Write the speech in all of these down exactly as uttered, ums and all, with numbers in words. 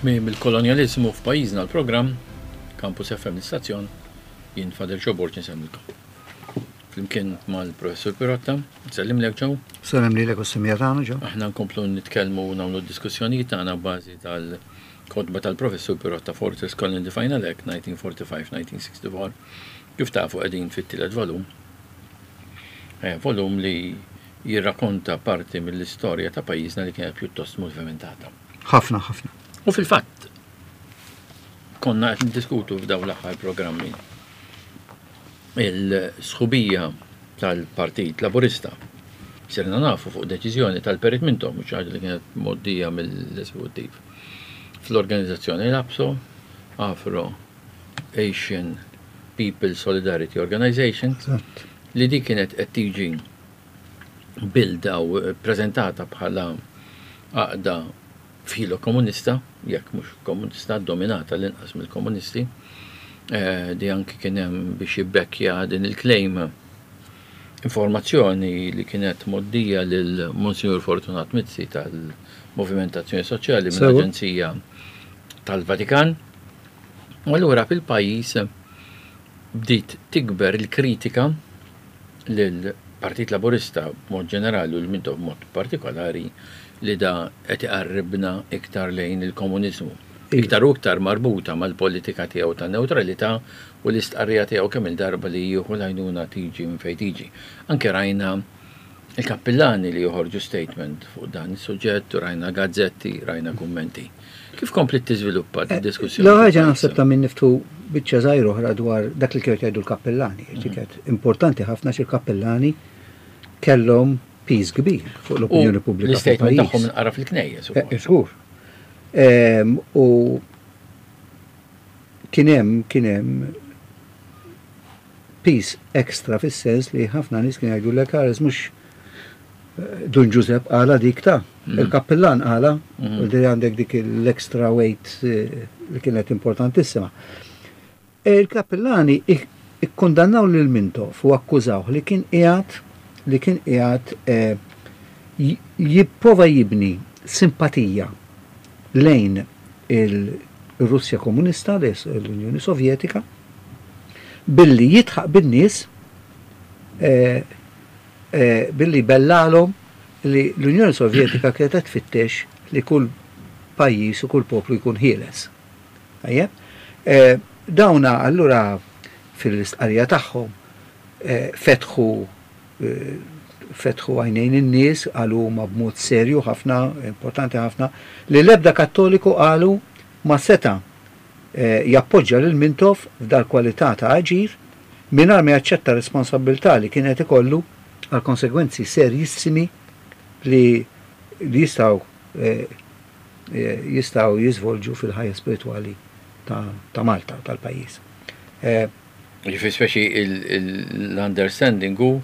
Tmiem il-kolonjaliżmu f'pajjiżna l-programm, Campus F M l-istazzjon, jien Father Joe Borg nsellmilkom. Flimkien mal-Professur Pirotta, nsellimlek Joe. Sellem lilek u s-semija tagħna Joe. Aħna nkomplu nitkellmu u nagħmlu d-diskussjonijiet tagħna b'bażi tal-kotba tal-Professur Pirotta Fortress Colony the Final Act nineteen forty-five nineteen sixty-four. Kif tafu qegħdin fit-tielet volum. Eh, volum li jirrakkonta parti mill-istorja ta' pajjiżna li kienet pjuttost movimentata. Ħafna, ħafna. U fil-fatt, konna qed niddiskutu f'dawn l-aħħar programmi il-sħubija tal-Partit Laburista. Sirna nafu fuq deċiżjoni tal-Perit Mintoff, mhux ħaġa li kienet mgħoddija mill-eżekuttiv. Fl-organizzazzjoni l-A P S O, Afro Asian People Solidarity Organization, Eżatt. li di kienet qed tiġi bilda u prezentata bħala għaqda filo komunista, jekk mhux komunista, dominata l-inqas mill-komunisti. Eh, di anki kien hemm biex jibbekkja din il-claim informazzjoni li kienet moddija lil Monsignor Fortunat Mizzi tal-Moviment Azzjoni Soċjali Sewa. mill-Aġenzija tal-Vatikan. U allura fil-pajjiż bdiet tikber il-kritika lill-Partit Laburista b'mod ġenerali u l-Mintoff b'mod partikolari li da qed iqarribna iktar lejn il-komuniżmu. Iktar u iktar marbuta mal-politika tiegħu ta' neutralità u l-istqarrija tiegħu kemm il-darba li jieħu l-għajnuna tiġi minn fejn tiġi. Anke rajna il-kappillani li joħorġu statement fuq dan is-suġġett, rajna gazzetti, rajna kummenti. Kif kompli tiżviluppa Eh, d-diskussjoni? L-ewwel ħaġa naħseb ta' min niftu biċċa żgħir oħra dwar dak li kienu jgħidu l-kappellani. Mhm. Kienet importanti ħafna xi l-kappellani kellhom piż kbir fuq l-opinjoni U pubblika l-istatement fil-pajjiż. tagħhom inqara fil-knejjes Eh, ukoll. Żgur. Ehm, u kien hemm, kien hemm piż ekstra fis-sens li ħafna nies kienu jgħidu l mhux eh, Dun Giuseppe qala dik ta' Mm. il-kappellan qala, Mm. u li għandek dik l-extra weight, eh, li kienet importantissima. E Il-kappellani ik-, ikkondannaw lil Mintoff u akkużawh li kien qiegħed li kien qiegħed, eh, j-, jipprova jibni simpatija lejn il-Russja komunista, l-Unjoni Sovjetika, billi jitħaq bin-nies, eh, eh, billi bellalhom li l-Unjoni Sovjetika kienet qed tfittex li kull pajjiż u kull poplu jkun ħieles. Tajjeb? Eh, dawna allura fil-istqarrija tagħhom, eh, fetħu, eh, fetħu għajnejn in-nies, qalu huma b'mod serju ħafna, importanti ħafna, li l-ebda kattoliku qalu ma seta, eh, jappoġġja lil Mintoff f'dal kwalità ta' aġir mingħajr ma jaċċetta responsabilità li kienet ikollu għal konsegwenzi serjissimi li, li jistgħu, eh, eh, jistgħu jiżvolġu fil-ħajja spiritwali ta', ta' Malta, tal-pajjiż. Eh, Ġifieri speċi il-, il-, l-understanding hu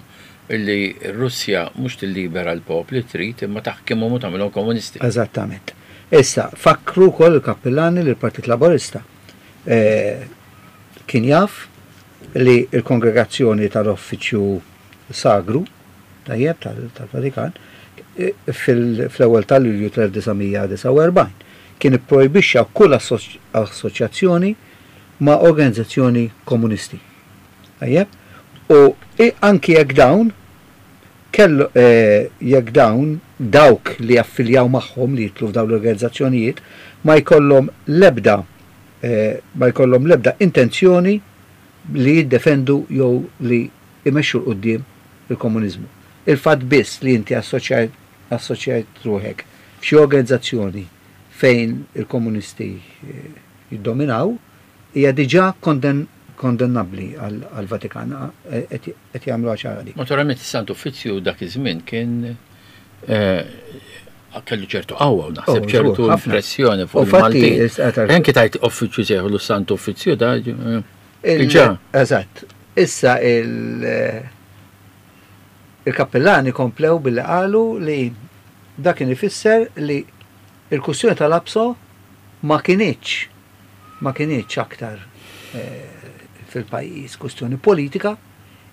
li r-Russja mhux tillibera l-popli trid imma taħkimhom u tagħmilhom komunisti. Eżattament. Issa, fakru wkoll il-kappellani li l-Partit Laburista, eh, kien jaf li l-kongregazzjoni tal-Uffiċċju Sagru, tajjeb, tal-, tal-Vatikan, eh, fil-, fl-ewwel ta' Lulju tal-elf disa' mija disgħa u erbgħin kien ipprojbixxa kull assoċ-, assoċjazzjoni ma' organizzazzjoni komunisti. Tajjeb? U i-, anki jekk dawn kellu, eh, jekk dawn dawk li affiljaw magħhom li jitlu f'dawn l-organizzazzjonijiet ma jkollhom l-ebda, eh, ma jkollhom l-ebda intenzjoni li jiddefendu jew li imexxu 'l quddiem il-komuniżmu. Il-fatt biss li inti assoċjajt, assoċjajt ruħek f'xi organizzazzjoni fejn il-komunisti, eh, jiddominaw hija diġà konden-, kondennabbli għal-, għal-Vatikan, a-, qed, qed jagħmlu ċara dik. Naturalment is-Santu Uffiċċju dak iż-żmien kien, eh, kellu ċertu qawwa u naħseb Oh, ċertu żgur, ħafna. pressjoni fuq U fatti, il-Maltin. is-, eh, tar- Anki tajt uffiċċju sejħu l-Santu Uffiċċju da, eh, Il- diġà. Eżatt. Issa il-, eh, il-kappellani komplew billi qalu li dak kien ifisser li il-kwistjoni tal-A P S O ma kinitx, ma kinitx aktar, eh, fil-pajjiż kwistjoni politika,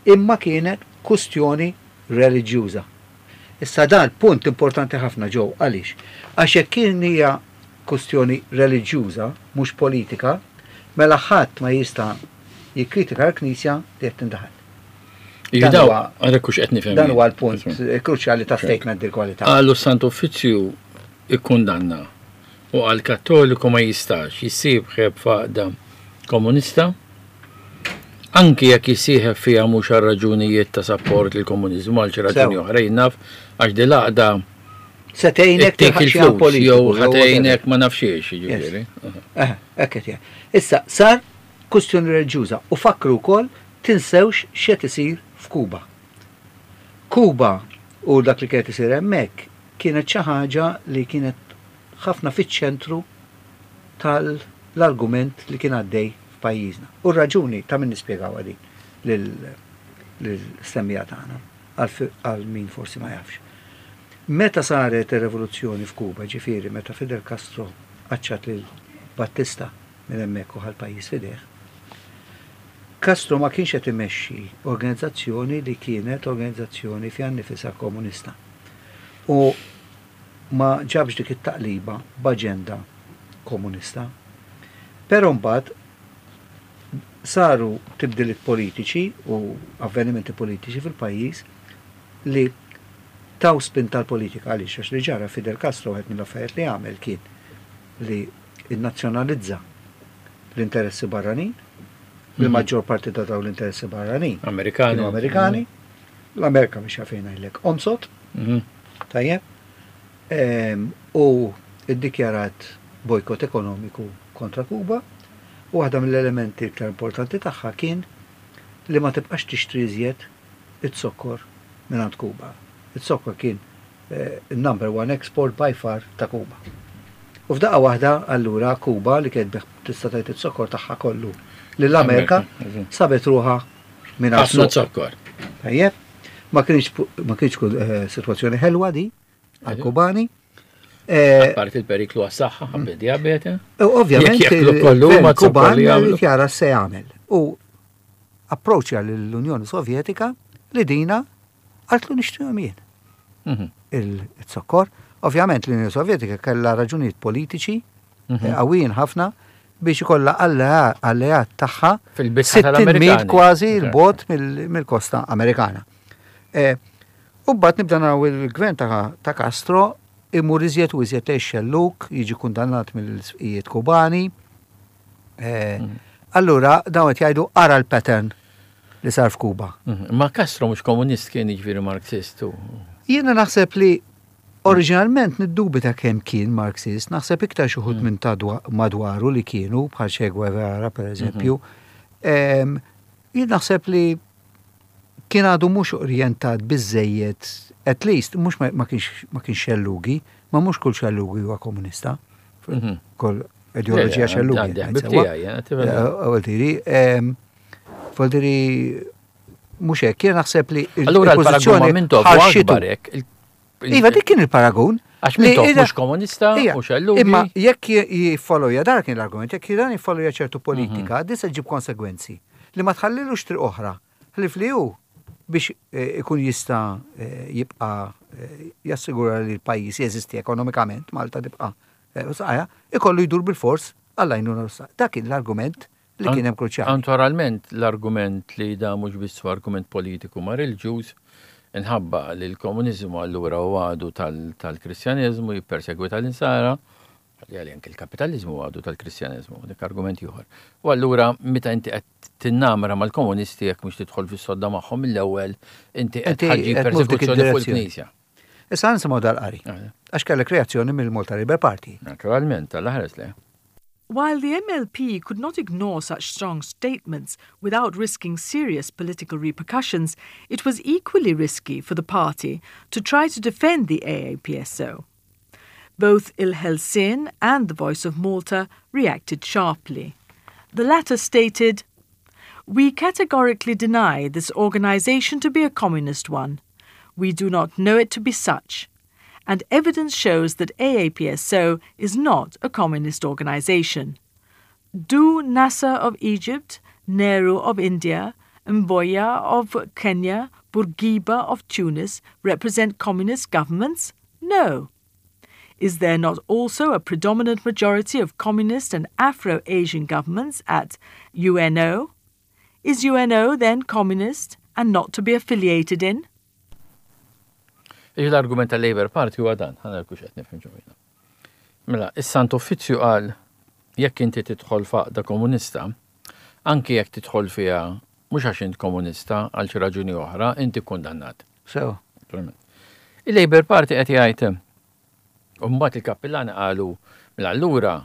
imma kienet kwistjoni reliġjuża. Issa dan punt importanti ħafna ġew, għaliex? Għax jekk kien hija kustjoni reliġjuża, mhux politika, mela ħadd ma jista' jikkritika l-Knisja li qed tindaħal. Dan huwa għalhekk hux qed nifhem. Dan huwa l-punt kruċjali ta' statement dil-kwalità. Qalu s-Sant Uffiċċju ikkundanna u għal Kattoliku ma jistax jissieħeb f'għaqda komunista, anki jekk jissieħeb fiha mhux għal raġunijiet ta' sapport lill komuniżmu, għal xi raġuni oħra, naf għax din l-għaqda se tgħinek ittik il-flus jew ħa tgħinek ma nafx xiex, jiġifieri. Eh, hekk qed jgħid. Issa sar kustjoni reliġjuża u fakru wkoll, tinsewx x'qed isir f'Kuba. Kuba u dak li kienet isir hemmhekk kienet xi ħaġa li kienet ħafna fiċ-ċentru tal-argument li kien għaddej f'pajjiżna. U r-raġuni ta' min nispjegaw din lill-istemmija tagħna għal min forsi ma jafx. Meta saret ir-revoluzzjoni f'Kuba, ġifieri meta Fidel Castro qaċċat lil Battista minn hemmhekk u ħa l-pajjiż f'idejh, Castro ma kienx qed imexxi organizzazzjoni li kienet organizzazzjoni fiha nnifisha komunista. U ma ġabx dik it-taqliba b'aġenda komunista. Però mbagħad saru tibdiliet politiċi u avvenimenti politiċi fil-pajjiż li taw spin tal-politika. Għaliex? Għax li ġara, Fidel Castro, wieħed mill-affarijiet li għamel kien li innazzjonalizza l-interessi barranin, il-maġġor parti ta' dawn l-interessi barranin Amerikani. Kienu Amerikani, l-Amerika biex għafejna jlek omsot, Mhm. tajjeb, Em, u iddikjarat bojkot ekonomiku kontra Kuba, u waħda mill-elementi iktar importanti tagħha kien li ma tibqax tixtri iżjed it-sokkor minn Kuba. It-sokkor kien eh, number one export by far ta' Kuba. U f'daqqa waħda allura Kuba, li kienet tbigħ, tista' tgħid, it-sokkor tagħha kollu lill-Amerika, Amerika, sabet ruħha minn ħafna zokkor. Tajjeb, ma kienx ma kienx eh, sitwazzjoni ħelwa di għal-Kubani. Eh, Apparti il-periklu għas-saħħa, ħabba diabete. U ovvjament Jekk jeklu kollu il-gvern ma zokkor Kuban li jagħmlu. irid jara se jagħmel. U approċċja lill-Unjoni Sovjetika li dina qaltlu nixtrihom jien Mhm. il-zokkor. Ovvjament l-Unjoni Sovjetika kellha raġunijiet politiċi Mhm. eh, qawwijin ħafna biex ikollha allea- alleat tagħha fil-bitħa sittin mil tal-Amerikani. kważi 'l bogħod mill- mill-kosta Amerikana. Eh, U mbagħad nibda naraw il-gvern ta' ta' Castro imur iżjed u iżjed lejn xelluk, jiġi kundannat mill-isqfijiet Kubani. Eh, Mhm. Allura dawn qed jgħidu ara l-pattern li sar f'Kuba. Mhm. Ma Castro mhux komunist kien, jiġifieri Marxist u. Jiena naħseb li oriġinalment niddubita kemm kien Marxist, naħseb iktar xi wħud minn ta' dwa- madwaru li kienu, bħal Che Guevara per eżempju. Em, Jien naħseb li kien għadu mhux orjentat biżejjed, at least mhux ma ma kienx ma kienx xellugi, ma mhux kull xellugi huwa komunista. Mhm. Kull ideoloġija xellugi. Għandi ngħid ħbib sewwa. tiegħi, eh, tifhem. Għaltiri, Voldiri, mhux hekk, jien naħseb li il- Allura l-paragun ma' il-pożizzjoni Mintoff ħarxitu. akbar hekk. Il- il- Iva, dik kien il-paragun. Għax Li Mintoff ida- mhux komunista Ija, u xellugi. Imma jekk jiffollowja, dar kien l-argument, jekk dan jiffollowja ċertu politika, Mhm. di se ġib konsegwenzi li ma tħallilux triq oħra. Ħlif li hu biex eh, ikun jista' eh, jibqa' eh, jassigura li l-pajjiż jeżisti ekonomikament, Malta tibqa' eh, saqajja, ikollu jdur bil-fors għall-għajnuna Russa. Dak kien l-argument li kien hemm kruċjali. Naturalment l-argument li da mhux biss huwa argument politiku ma reliġjuż, inħabba li l-komuniżmu allura u għadu tal-Kristjaneżmu, jippersegwita l-insara, li għalli anke l-kapitalizmu għadu tal-Kristjaneżmu, dik argument ieħor. U allura meta inti qed tinnamra mal-komunisti, jekk mhux tidħol fis-sodda magħhom mill-ewwel, inti qed Inti ħaġġi qed tmur f'dik persekuzzjoni fuq id-direzzjoni. il-Knisja. Issa nisimgħu dal-qari. Għax kellek reazzjoni mill-Malta Labour Party. Naturalment, tal-ħares le. While the M L P could not ignore such strong statements without risking serious political repercussions, it was equally risky for the party to try to defend the A A P S O. Both Il-Ħelsien and the Voice of Malta reacted sharply. The latter stated, "We categorically deny this organization to be a communist one. We do not know it to be such. And evidence shows that A A P S O is not a communist organization. Do Nasser of Egypt, Nehru of India, Mboya of Kenya, Bourguiba of Tunis represent communist governments? No. Is there not also a predominant majority of communist and Afro-Asian governments at U N O? Is U N O then communist and not to be affiliated in? L-argument tal-Labour Party huwa dan, ħa nara hux qed nifhem ġewwina. Mela, is-Sant Uffizzju qal jekk inti tidħol f'għaqda komunista, anki jekk tidħol fiha mhux għax int komunista, għal xi raġuni oħra, inti kundannat. So. Il-Labour Party qed jgħid, u mbagħad il-kappillani qalu, mela allura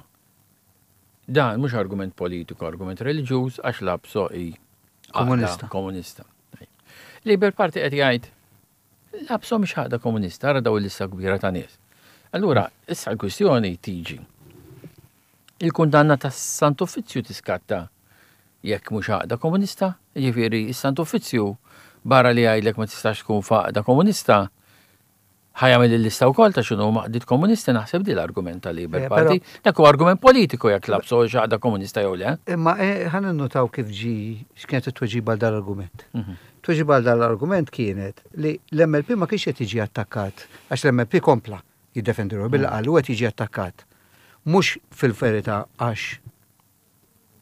dan mhux argument politiku, argument reliġjuż, għax l-ABSO hi komunista. Komunista. Labour Party qed jgħid l-ABSO mhix għaqda komunista, ara daw il-lista kbira ta' nies. Allura, issa l-kwistjoni tiġi. Il-kundanna tas Sant Uffizzju tiskatta jekk mhux għaqda komunista, jiġifieri is-Sant Uffizzju barra li jgħidlek ma tistax tkun f'għaqda komunista, ħa jagħmel il-lista wkoll ta' x'inhu għaqdiet komunisti. Naħseb di l-argument tal Labour Eh, Party. Dak huwa argument politiku jekk l-ABSO għaqda komunista jew le. Imma eh, ħa ninnotaw kif ġi, x'kienet it-tweġiba għal dal-argument. Mhm. Tweġiba għal dal-argument kienet li l-M L P ma kienx qed jiġi attakkat, għax l-M L P kompla jiddefendi ruħu billi qal qed jiġi attakkat. Mhux fil-verità għax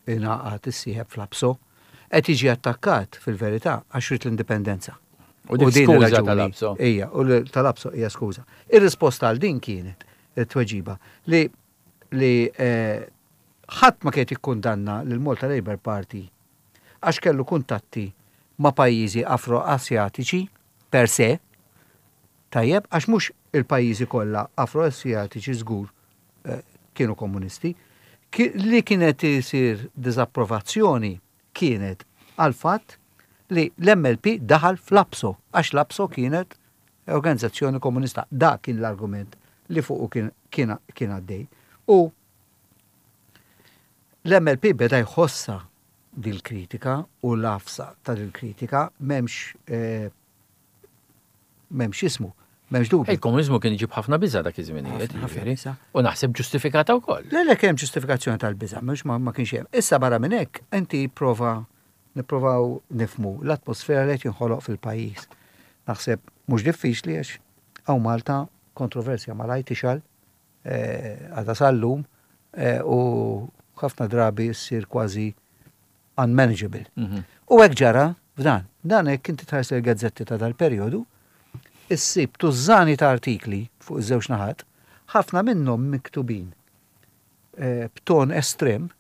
ingħaqad, issieħeb fl-ABSO, qed jiġi attakkat fil-verità għax ried l-indipendenza. U dik din skuża ir-raġuni- tal-ABSO. Ija, u l- tal-ABSO hija skuża. Ir-risposta għal din kienet it-tweġiba li li eh, ħadd ma kien jikkundanna lil Malta Labour Party għax kellu kuntatti ma' pajjiżi Afro-Asjatiċi per se, tajjeb, għax mhux il-pajjiżi kollha Afro-Asjatiċi żgur eh, kienu komunisti, Ki- li kienet isir diżapprovazzjoni kienet għal fatt li l-M L P daħal fl-ABSO, għax l-ABSO kienet organizzazzjoni komunista. Da kien l-argument li fuqu kien, kien, kien għaddej. U l-M L P beda jħossa dil-kritika u l-għafsa ta' dil-kritika, m'hemmx eh, m'hemmx ismu, m'hemmx dubju. Il-komunizmu kien iġib ħafna biża dak iż-żminijiet, Ħafna, ħafna jiġifieri. biża'. U naħseb ġustifikata wkoll. Le, le, kemm ġustifikazzjoni tal-biża, mhux ma, ma kienx hemm. Issa barra minn hekk, inti prova nipprovaw nifmu l-atmosfera li qed jinħoloq fil-pajjiż. Naħseb mhux diffiċli, għax hawn Malta kontroversja malajr tixgħel eh, għadha sal-lum eh, u ħafna drabi ssir kważi unmanageable. Mhm. U hekk ġara f'dan. Dan hekk inti tħares il-gazzetti ta' dal-perjodu, issib tużżani ta' artikli fuq iż-żewġ naħat, ħafna minnhom miktubin eh, b'ton estrem,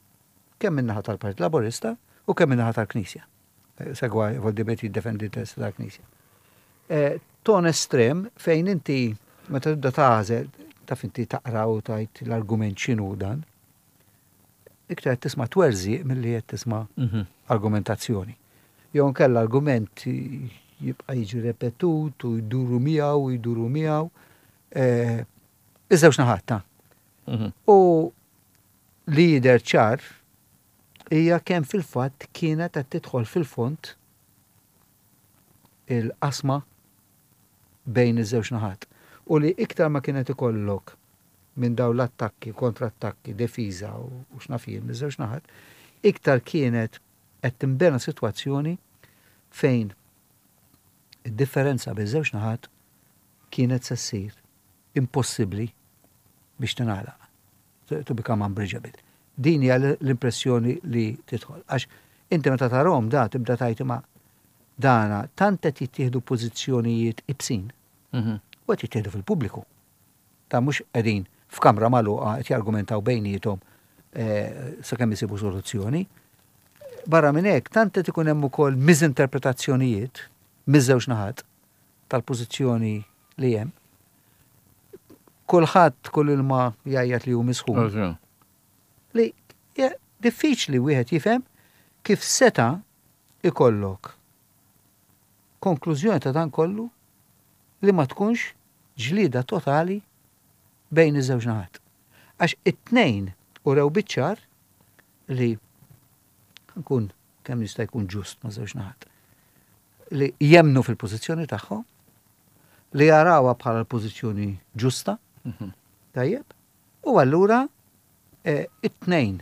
kemm min-naħa tal-Partit Laburista u kemm min-naħa tal-Knisja. Eh, Segwa Voldibet jiddefendi l-interess tal-Knisja. Eh, Ton estrem fejn inti meta tibda tagħżel, taf, inti taqra u tgħid l-argument x'inhu dan, iktar qed tisma' twerżiq milli qed tisma' Mhm. argumentazzjoni. Jew nkella argument jibqa' jiġi repetut u jduru miegħu u jduru miegħu. Eh, Iż-żewġ naħat ta' Mhm. U li jidher ċar hija kemm fil-fatt kienet qed tidħol fil-fond il-qasma bejn iż-żewġ naħat. U li iktar ma kienet ikollok minn daw l-attakki, kontrattakki, defiża u u x'naf jien miż-żewġ naħat, iktar kienet qed tinbena sitwazzjoni fejn id-differenza bejn żewġ naħat kienet se ssir impossibbli biex tingħalaq. To to become unbridgeable. Din hija l-impressjoni li tidħol. Għax inti meta tarahom da tibda tgħid ma dana tant qed jittieħdu pożizzjonijiet ibsin Mhm. u qed jittieħdu fil-pubbliku. Ta' mhux qegħdin f'kamra magħluqa qed jargumentaw bejniethom eh, sakemm isibu soluzzjoni. Barra minn hekk, tant qed ikun hemm ukoll miżinterpretazzjonijiet miż-żewġ naħat tal-pożizzjoni li hemm. Kulħadd kull ilma jgħajjat li hu misħun li ja, diffiċli wieħed jifhem kif seta ikollok konklużjoni ta' dan kollu li ma tkunx ġlida totali bejn iż-żewġ naħat. Għax it-tnejn urew biċ-ċar li nkun kemm jista' jkun ġust ma' żewġ naħat, li jemnu fil-pożizzjoni tagħhom, li jarawha bħala l-pożizzjoni ġusta, Mhm. tajjeb, u allura eh, it-tnejn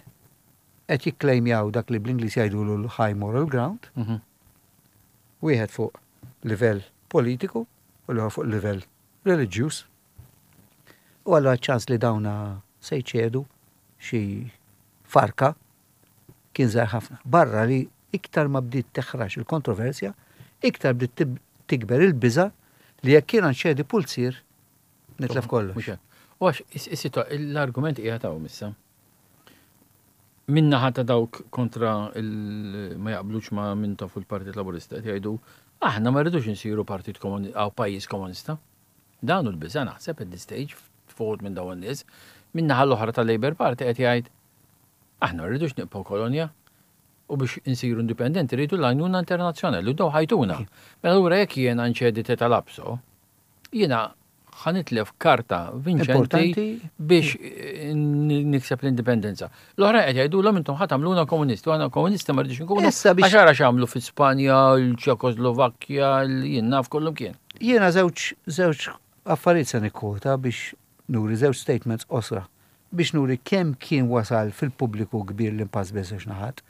qed jikklejmjaw dak li bl-Ingliż jgħidu l-high moral ground, Mhm. wieħed fuq livell politiku u l fuq livell reliġjuż. U allura ċans li dawna se jċedu xi farka kien żgħir ħafna. Barra li iktar ma bdiet teħrax il-kontroversja, iktar bdiet tikber il-biża li jekk jiena nċedi pulzier nitlef kollox. U għax, l-argument qiegħed hawn issa. Min-naħa ta' dawk kontra ma jaqblux ma' Mintoff u l-Partit Laburista qed jgħidu aħna ma rridux insiru partit għaw pajjiż komunista. Dan hu l-biża naħseb at this stage fuq minn dawn nies. Min-naħa l-oħra tal-Labour Party qed jgħid aħna ma rridux nibqgħu kolonja u biex insiru indipendenti rridu l-għajnuna internazzjonali u daw ħa jtuna. Mela allura jekk jiena nċedi tal-ABSO, jiena ħa nitlef karta vinċenti biex nikseb l-indipendenza. L-oħra qed jgħidulhom intom ħa tagħmluna komunisti, u aħna komunisti ma rridux nkunu. Għax ara x'għamlu fi Spanja, l-Ċekoslovakkja, jien naf kollum kien. Jiena żewġ żewġ affarijiet se nikkwota biex nuri żewġ statements qosra biex nuri kemm kien wasal fil-pubbliku kbir l-impass bejn żewġ naħat.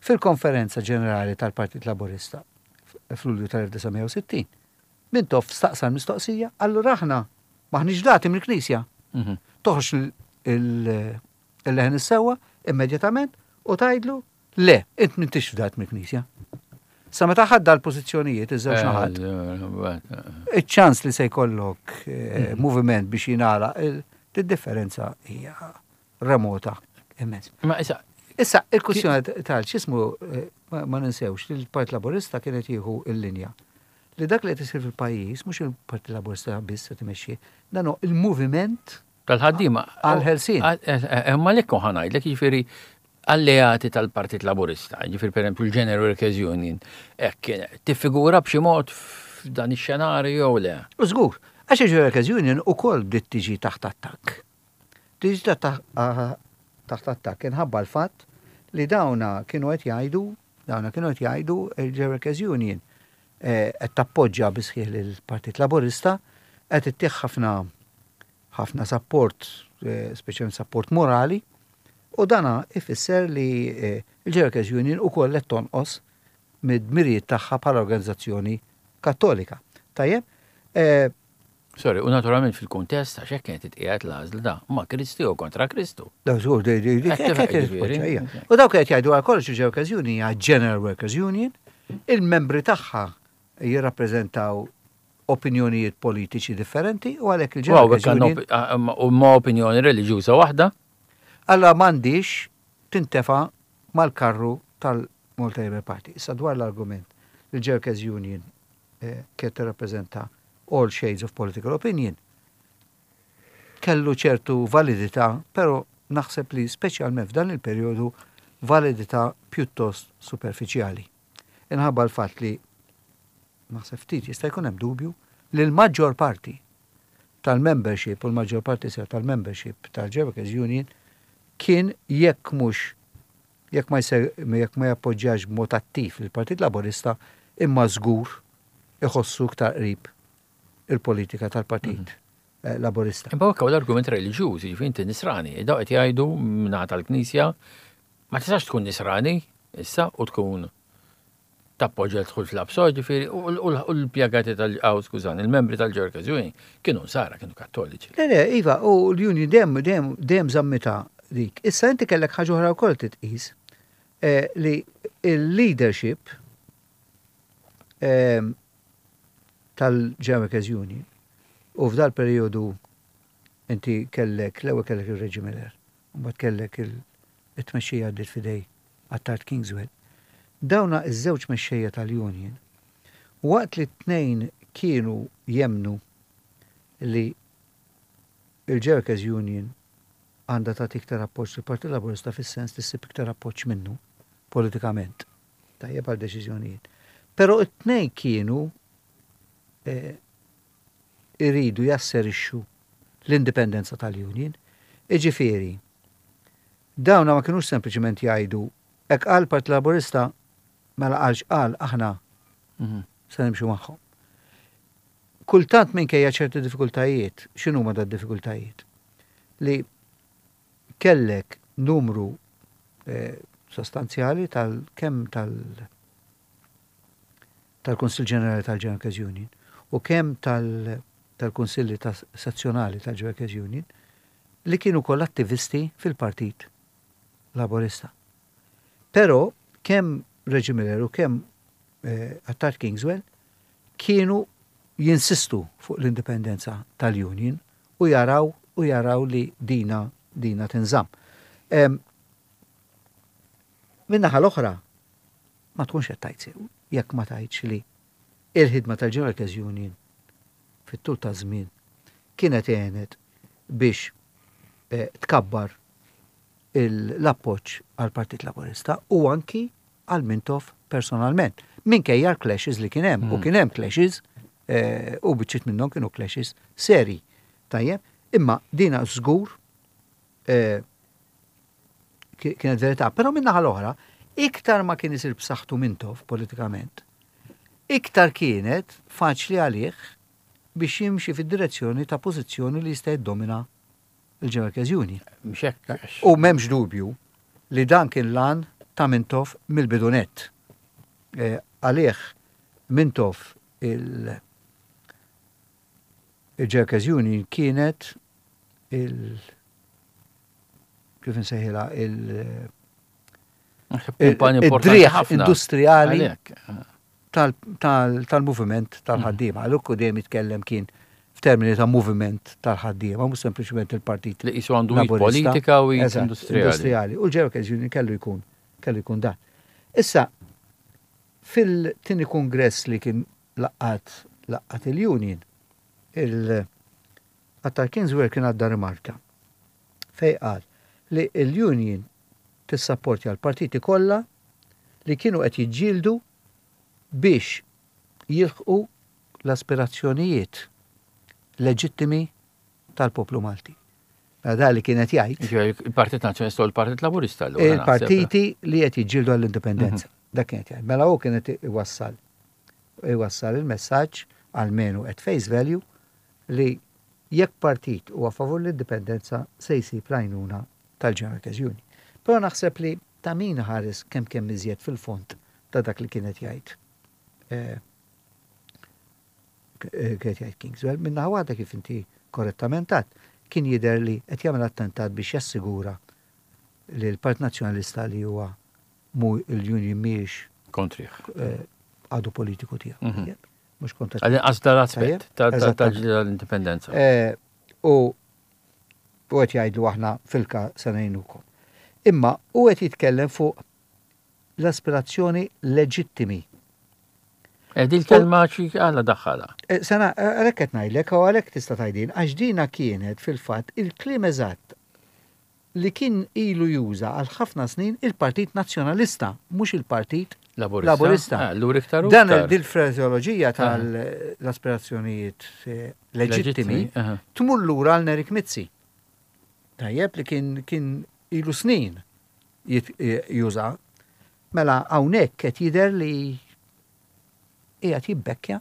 Fil-konferenza ġenerali tal-Partit Laburista fl-Lulju tal-elf disa' mija u sittin, Mintoff staqsa l-mistoqsija, allura aħna maħniex fdati mill-Knisja? Mhm. Toħroġ il-leħen is-sewwa immedjatament u tgħidlu le, int m'intix fdat mill-Knisja. Sa meta ħadda l-pożizzjonijiet iż-żewġ eh, naħat. Iċ-ċans li se jkollok eh, mhm. moviment biex jingħalaq il-differenza hija remota immens. Ma issa Issa, il-kwistjoni tal x'ismu eh, ma ninsewx li l-Partit Laburista kienet jieħu il-linja li dak li qed isir fil-pajjiż mhux il-Partit Laburista biss se timexxi, dan hu il-moviment tal-ħaddiema għal-ħelsien. Ma lekku ħa ngħidlek, jiġifieri alleati tal-Partit Laburista, jiġifieri per esempio il-General Workers Union, hekk tiffigura b'xi mod f'dan ix-xenarju jew le? U żgur, għax il-General Workers Union ukoll bdiet tiġi taħt attakk. Tiġi taħt attakk inħabba l-fatt li dawna kienu qed jgħidu, dawna kienu qed jgħidu il-General Workers Union eh, qed tappoġġja bisħieħ lill-Partit Laburista, qed ittih ħafna ħafna support, eh, speċjalment support morali, u dana ifisser li eh, il-General Workers Union ukoll qed tonqos mid-dmirijiet tagħha bħala organizzazzjoni kattolika. Tajjeb, eh, Sorry, u naturalment fil-kuntest għax hekk kienet titqiegħed l-għażla da, ma Kristu jew kontra Kristu. Daw żgur, di- di- di- Qed qed tifhem, jiġifieri. ġifieri. U dawk qed jgħidu għal kollox il-General Workers Union hija General Workers Union, il-membri tagħha jirrappreżentaw opinjonijiet politiċi differenti u għalhekk U il-General hawnhekk Workers għandna Union opi- a- u ma opinjoni reliġjuża waħda. Alla m'għandix tintefa mal-karru tal-Malta Labour Party. Issa dwar l-argument li l Workers Union eh, kienet tirrappreżenta all shades of political opinion. Kellu ċertu validità, però naħseb li speċjalment f'dan il-perjodu validità pjuttost superfiċjali. Inħabba l-fatt li naħseb ftit jista' jkun hemm dubju li l-maġġor parti tal-membership u l-maġġor parti sew tal-membership tal-Workers Union kien jekk mhux jekk ma jse- jekk ma jappoġġjax b'mod attiv il-Partit Laburista imma żgur iħossu iktar qrib il-politika tal-Partit eh, Laburista. Imma hekk l-argument reliġjuż, jiġifieri inti nisrani, daw qed jgħidu mingħata tal-Knisja ma tistax tkun nisrani issa u tkun tappoġġja dħul fl-ABSO, ġifieri u u- u l-impjegati tal aw skużani, il-membri tal-Workers Union kienu nsara, kienu kattoliċi. Le, le, iva, u l-Union dem, dem, dem żammitha dik. Issa inti kellek ħaġa oħra wkoll titqis eh, li il-leadership eh, tal-General Workers Union u f'dal periodu inti kellek, l-ewwel kellek il-Reggie Miller, u mbagħad kellek il-tmexxija għaddiet f'idejn Attard Kingswell. Dawna iż-żewġ mexxejja tal-Union, waqt li t-tnejn kienu jemnu li il-Workers Union għandha tagħti iktar appoġġ lill-Partit Laburista fis-sens li ssib iktar appoġġ minnu politikament. Tajjeb għal deċiżjonijiet. Però it-tnejn kienu eh, iridu jasserixxu l-indipendenza tal-Union. Iġifieri, dawna ma kienux sempliċement jgħidu hekk qal Partit Laburista mela qal x'qal aħna Mhm. se nimxu magħhom. Kultant minkejja ċerti diffikultajiet, x'inhuma da diffikultajiet? Li kellek numru eh, sostanzjali tal kemm tal tal-Kunsill Ġenerali tal-General Workers Union u kemm tal tal-Kunsilli ta' sezzjonali tal-General Workers Union li kienu koll attivisti fil-Partit Laburista. Però kemm Reggie Miller u kemm eh, Attard Kingswell kienu jinsistu fuq l-indipendenza tal-Union u jaraw u jaraw li dina dina tinżamm. Em, Min-naħa l-oħra, ma tkunx qed tgħid sew jekk ma tgħidx li il-ħidma tal-General Workers Union fit-tul ta' żmien kienet għenet biex eh, tkabbar il- l-appoġġ għal Partit Laburista u anki għal Mintoff personalment. Minkejja l-clashes li kien hemm, u kien hemm clashes eh, u biċċiet minnhom kienu clashes seri. Tajjeb, imma dina żgur eh, ki- kienet verità. Però min-naħa l-oħra, iktar ma kien isir b'saħħtu Mintoff politikament, iktar kienet faċli għalih biex jimxi fid-direzzjoni ta' pożizzjoni li jista' jiddomina il-General Workers Union. Mhux hekk. U m'hemmx dubju li dan kien l-għan ta' Mintoff mill-bidu nett. E, Għalih Mintoff il- il-General Workers Union kienet il- kif nsejħilha il- Kumpan importanti id-driegħ ħafna. industrijali Għalhekk. tal- tal- tal-moviment tal-ħaddiema. Għalhekk dejjem jitkellem kien f'termini ta' moviment tal-ħaddiema, mhux sempliċement il-Partit Li qisu għandu id Laburista. politika u id Eżatt, industrijali. industrijali. U l-General Workers Union kellu jkun kellu jkun dan. Issa, fil-tieni kongress li kien laqqat laqqat il-Union, il Attard Kingswell kien għadda rimarka fej qal li il-Union tissapportja l-partiti kollha li kienu qed jiġġieldu biex jilħqu l-aspirazzjonijiet leġittimi tal-poplu Malti. Mela da li kienet jgħid Ġifieri il-Partit Nazzjonalista u l-Partit Laburista. allura naħseb. il-partiti li qed jiġġieldu għall-indipendenza. Dak kienet jgħid. Mela hu kienet iwassal iwassal il-messaġġ almenu at face value li jekk partit huwa favur l-indipendenza se jsib l-għajnuna tal-General Workers Union. Però naħseb li ta' min ħares kemm kemm iżjed fil-fond ta' dak li kienet jgħid. Eh, eh, kienet jgħid Kingswell, min-naħa waħda kif inti korrettament għedt, kien jidher li qed jagħmel attentat biex jassigura li l-Partit Nazzjonalista li huwa mu l-Union mhijiex Kontrih. eh, għadu politiku tiegħu. Mhm. Mhux kontra. Għal-inqas dal-aspett Tajjeb, ta' ta' eżattament. tal-indipendenza. Eh, U u qed jgħidu aħna fil-ka se ngħinukom. Imma u qed jitkellem fuq l-aspirazzjoni leġittimi. Eh, Di l-kelma xi għala daħħala. Eh, Sena, għalhekk qed ngħidlek u għalhekk tista' tgħidin, għax dina kienet fil-fatt il-kliem eżatt li kien ilu juża għal ħafna snin il-Partit Nazzjonalista, mhux il-Partit Laburista. Laburista. Ah, Allura iktar u Dan iktar. dil-frażeoloġija tal-aspirazzjonijiet eh, leġittimi aha. tmur lura għal Nerik Mizzi. Tajjeb li kien kien ilu snin jit- eh, juża. Mela hawnhekk qed jidher li qiegħed jibbekkja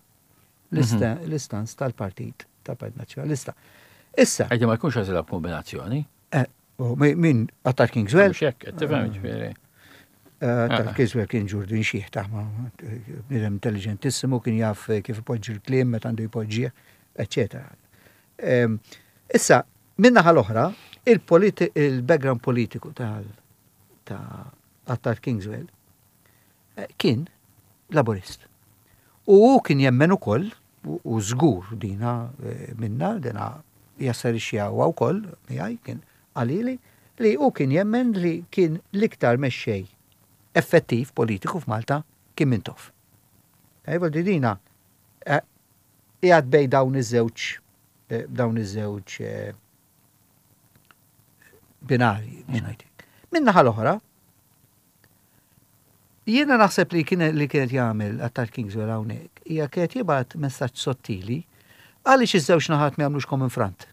l-ista- l-istance tal-Partit tal-Partit Nazzjonalista. Issa, Għajdi ma jkunx għazila kombinazzjoni. eh, u mi- min Attard Kingswell, Mhux hekk, qed tifhem ġifieri. Attard Ah. Kingswell kien ġurdin xiħ ta' ma bniedem intelligentissimu, kien jaf kif ipoġġi l-kliem meta għandu jpoġġih, eccetera. Em, Issa, min-naħa l-oħra, il-politi- il-background politiku tal ta' Attard Kingswell eh, kien laburist. U hu kien jemmen ukoll, u u żgur dina eh, minna, dina jasserixxi huwa wkoll miegħi kien qalili li hu kien jemmen li kien l-iktar mexxej effettiv politiku f'Malta kien Mintoff. Ejwa di dina eh, qiegħed bej dawn iż-żewġ eh, dawn iż-żewġ eh, binarji biex ngħidlek. Min-naħa l-oħra, jiena naħseb li kien li kienet jagħmel Attard Kingswell hawnhekk hija kienet jibgħat messaġġ sottili għaliex iż-żewġ naħat ma jagħmlux common front.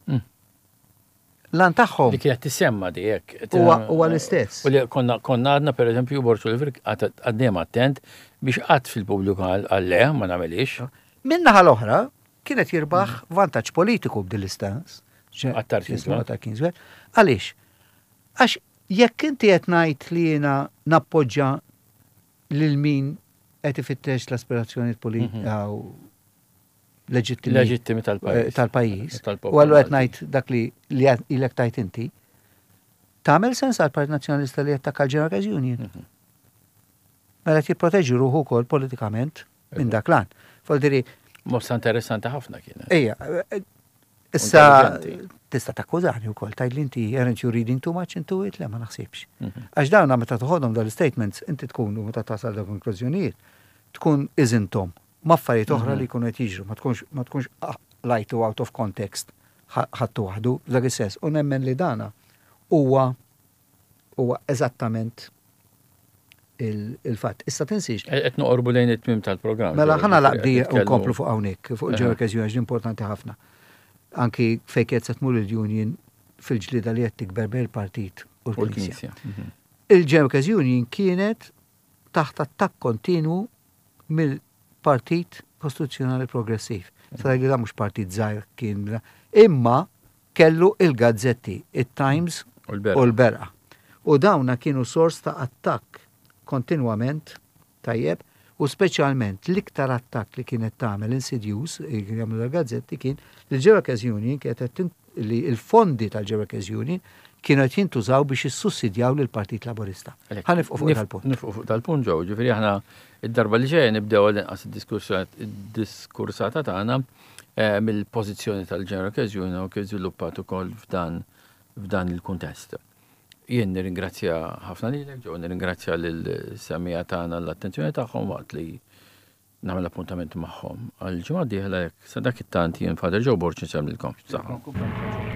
Mm. L-għan tagħhom Li kienet tisemma di hekk. Huwa- huwa l-istess. U li konna konna għadna per eżempju Borg Olivier għaddejjem attent biex qatt fil-pubbliku għal għal le ma nagħmelix. Min-naħa l-oħra kienet jirbaħ vantaġġ politiku b'dil istance. Attard Kingswell. Attard Kingswell. Għaliex? Għax jekk inti qed ngħid li jiena nappoġġa lil min qed ifittex l-aspirazzjonijiet politika u leġittimi Leġittimi tal-pajjiż. eh, tal-pajjiż. Tal-poplu U allura qed Malti. ngħid dak li li għad- ilek tajt inti, tagħmel sens għal Partit Nazzjonalista li jattakka l-General Workers Union. Mhm. Mela qed jipproteġi ruħu wkoll politikament minn dak l-għan. Voldiri, Mossa interessanti ħafna kienet. ejja, eh, issa Intelligenti. tista' takkużani wkoll tgħid li inti aren't you reading too much into it? Le, ma naħsibx. Mhm. Għax dawna meta toħodhom dal-statements, inti tkun u meta tasal da konklużjonijiet, tkun iżintom ma' affarijiet oħra li jkunu qed jiġru, ma tkunx ma tkunx ah, lajtu out of context ħa- ħadtu waħdu f'dak is-sens. U nemmen li dana huwa huwa eżattament il- il-fatt. Issa tinsiex, Qed noqorbu lejn it-tmim tal-programm. Mela ħa nagħlaq Qed di nitkellmu- nkomplu fuq hawnhekk, fuq Aha. il-General Workers Union importanti ħafna. Anki fejn qed se tmur il-union fil-ġlida li qed tikber bejn il-partit u U l-Knisja. l-Knisja. Mhm. Il-General Workers Union kienet taħt attakk kontinu mill-Partit Kostituzzjonali Progressiv. Sa li da mhux partit żgħir kien, imma kellu il-gazzetti, il-Times U l-Berqa. u l-Berqa. U dawna kienu sors ta' attakk kontinwament, tajjeb, u speċjalment l-iktar attakk li kienet tagħmel insidious, li kien jagħmlu l-gazzetti kien li l-General Workers Union kienet qed tin- li l-fondi tal-General Workers Union kienu qed jintużaw biex jissussidjaw lill-Partit Laburista. Għalhekk, Ħa nifqu fuq nif- dal-punt. Nifqu fuq dal-punt ġew, ġifieri aħna id-darba li ġejja nibdew għal-inqas id-diskursata tagħna eh, mill-pożizzjoni tal-General Workers Union u kif żviluppat ukoll f'dan f'dan il-kuntest. Jien nirringrazzja ħafna lilek, ġew nirringrazzja lil-semmiegħa tagħna l-attenzjoni tagħhom waqt li nagħmel appuntament magħhom. Għal ġimgħa dieħla jekk sa dak it-tant jien Father Joe Borg insellmilkom. Saħħa.